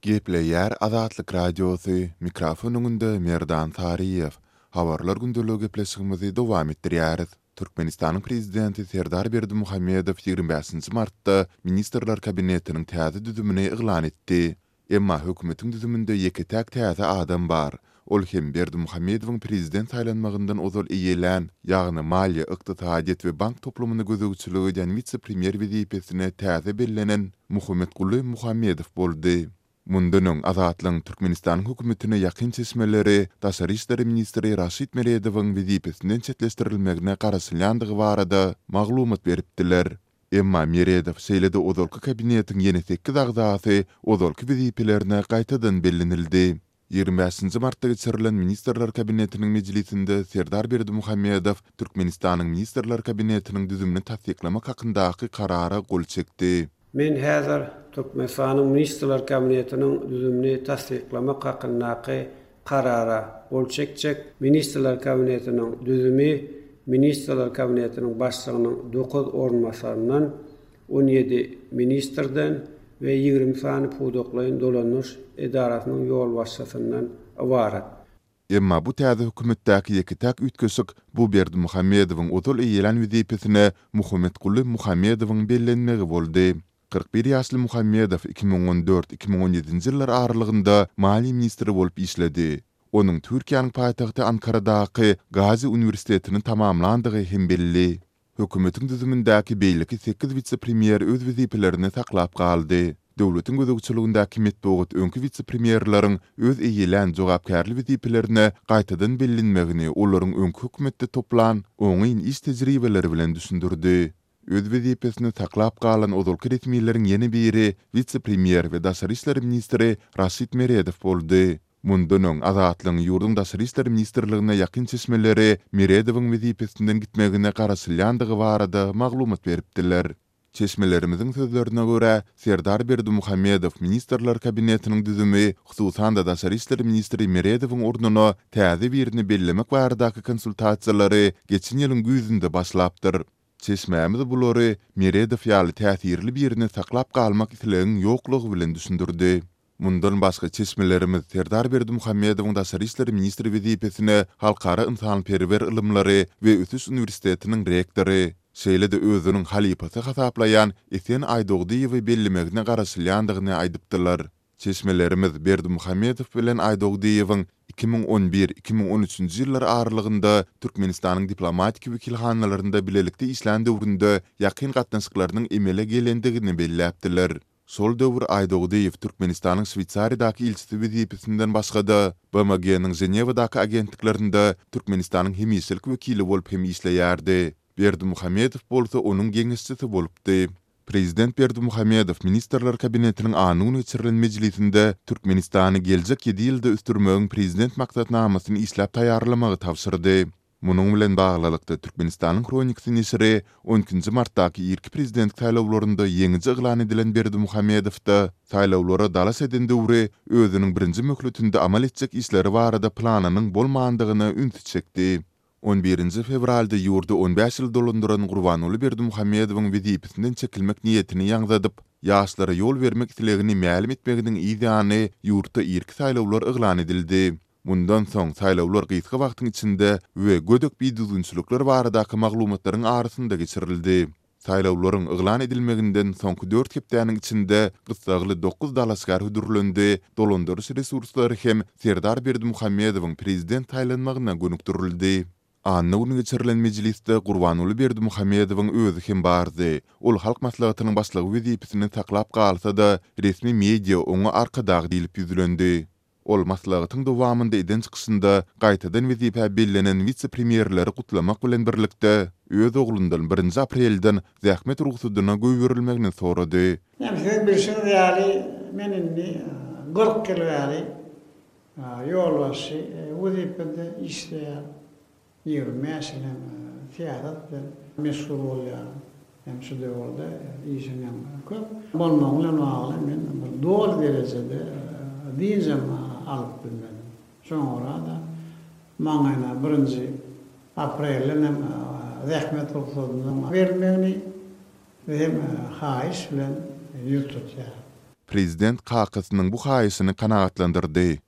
Gepleýär Azatlyk Radiosy, mikrofon öňünde Merdan Saryýew. Habarlar gündeligi gepleşigimizi dowam etdirýäris. Türkmenistanyň Prezidenti Serdar Berdimuhamedow 25 martda Ministrler Kabinetiniň täze düzümini yglan etdi. Emma hökümetiň düzüminde ýeke-täk täze adam bar. Ol hem Berdimuhamedowyň prezident saýlanmagyndan ozal eýelän, ýagny maliýe, ykdysadyýet we bank toplumyna gözegçilik edýän wise-premýer wezipesine täze bellenen Muhammetguly Muhammedow boldy. Mundan öň Azatlygyň Türkmenistanyň hökümetine ýakyn çeşmeleri daşary işler ministri Raşid Meredowyň wezipesinden çetleşdirilmegine garaşylýandygy barada maglumat beripdiler. Emma Meredow, şeýle-de ozalky kabinetiň ýene sekiz agzasy ozalky wezipelerine gaýtadan bellenildi. 25-nji martda geçirilen Ministrler Kabinetiniň mejlisinde Serdar Berdimuhamedow Türkmenistanyň Ministrler Kabinetiniň düzümini tassyklamak hakyndaky Karara gol çekdi. Men häzir Türkmenistanyň Ministrler Kabinetiniň düzümini tassyklamak hakyndaky Karara gol çekjek. Ministrler Kabinetiniň düzümi Ministrler Kabinetiniň Başlygynyň dokuz orunbasaryndan, 17 ministrden we 20 sany pudaklaýyn dolandyryş edarasynyň ýolbaşçysyndan ybarat. Emma bu täze hökümetdäki ýeke-täk üýtgeşik bu Berdimuhamedowyň ozal eýelän wezipesine Muhammetguly Muhammedowyň bellenmegi boldy. 41 ýaşly Muhammedow 2014, 2017-nji ýyllar aralygynda maliýe ministri bolup işledi. Onuň Türkiýäniň paýtagty Ankaradaky Gazi uniwersitetini tamamlandygy hem belli. Hökümetiň düzümindäki beýleki sekiz wise-premýer öz wezipelerini saklap galdy. Döwletiň gözegçiligindäki metbugat öňki wise-premýerleriň öz eýelän jogapkärli wezipelerine gaýtadan bellenmegini olaryň öňki hökümetde toplan oňyn iş tejribeleri bilen düşündirdi. Öz wezipesini saklap galan ozalky resmileriň ýene biri wise-premýer we daşary işler ministri Raşid Meredow boldy. Mundan öň, Azatlygyň ýurduň Daşary işler ministrligine ýakyn çeşmeleri Meredowyň wezipesinden gitmegine garaşylýandygy barada maglumat beripdiler. Çeşmelerimiziň sözlerine görä, Serdar Berdimuhamedow Ministrler Kabinetiniň düzümi, hususan-da daşary işler ministri Meredowyň ornuna täze birini bellemek baradaky konsultasiýalary geçen ýylyň güýzünde başlapdyr. Çeşmämiz bulary Meredow ýaly täsirli birini saklap galmak islegiň ýoklugy bilen düşündirdi. Mundan başga çeşmelerimiz Serdar Berdimuhamedowyň daşary işler ministri wezipesine Halkara ynsanperwer ylymlary we ösüş uniwersitetiniň rektory, şeýle-de özüniň halypasy hasaplaýan Esen Aýdogdyýewi bellemegine garaşylýandygyny aýdypdylar. Çeşmelerimiz Berdimuhamedow bilen Aýdogdyýewiň 2011, 2013-nji ýyllar aralygynda Türkmenistanyň diplomatik wekilhanalarynda bilelikde işlän döwründe ýakyn gatnaşyklarynyň emele gelendigini belläpdiler. Şol döwür Aýdogdyýew Türkmenistanyň Şweýsariýadaky ilçisi wezipesinden başga-da, BMG-niň Ženewadaky agentliklerinde Türkmenistanyň hemişelik wekili bolup hem işleýärdi. Berdimuhamedow bolsa onuň geňeşçisi bolupdy. Prezident Berdimuhamedow Ministrler Kabinetiniň anna güni geçirilen mejlisinde Türkmenistany geljek ýedi ýylda ösdürmegiň Prezident maksatnamasyny işläp taýýarlamagy tabşyrdy. Munuň bilen baglylykda, Türkmenistanyň Hronikasy neşiri on ikinji martdaky irki prezident saýlawlarynda ýeňiji yglan edilen Berdimuhamedowda saýlawlara dalaş eden döwri özüniň birinji möhletinde amal etjek işleri barada planynyň bolmandygyna ünsi çekdi. On birinji fewralda ýurdy on bäş ýyl dolandyran Gurbanguly Berdimuhamedowyň wezipesinden çekilmek niýetini ýaňzadyp, ýaşlara ýol bermek islegini mälim etmeginiň yz ýany ýurtda irki saýlawlar yglan edildi. Mundan soň saýlawlar gysga wagtyň içinde we gödek bidüzgünçilikler baradaky maglumatlaryň arasynda geçirildi. Saýlawlaryň yglan edilmeginden soňky dört hepdäniň içinde gyssagly dokuz dalaşgär hödürlendi, dolandyryş resurslary hem Serdar Berdimuhamedowyň prezident saýlanmagyna gönükdirildi. Anna güni geçirilen mejlisde Gurbanguly Berdimuhamedowyň özi hem bardy. Ol Halk Maslahatynyň Başlygy wezipesini saklap galsa-da, resmi media oňa Arkadag diýlip ýüzlendi. Ol maslahatyň dowamynda eden çykyşynda gaýtadan wezipä bellenen wise-premýerleri gutlamak bilen birlikde, öz oglundan birinji aprelden zähmet rugsadyna goýberilmegini sorady. Ýa siziň bilşiňiz ýaly, men indi 40 ýyl bäri ýolbaşçy wezipede işleýän. 25 ýyl hem syýasat bilen meşgul bolýaryn. Hem şu döwürde işiň hem köp bolmagy bilen bagly men bir doly derejede dynjam alyp bilmedim. Şoňa görä-de maňa birinji aprelden hem zähmet rugsadynyň berilmegini hem haýyş bilen ýüz tutýaryn. Prezident kakasynyň bu haýyşyny kanagatlandyrdy.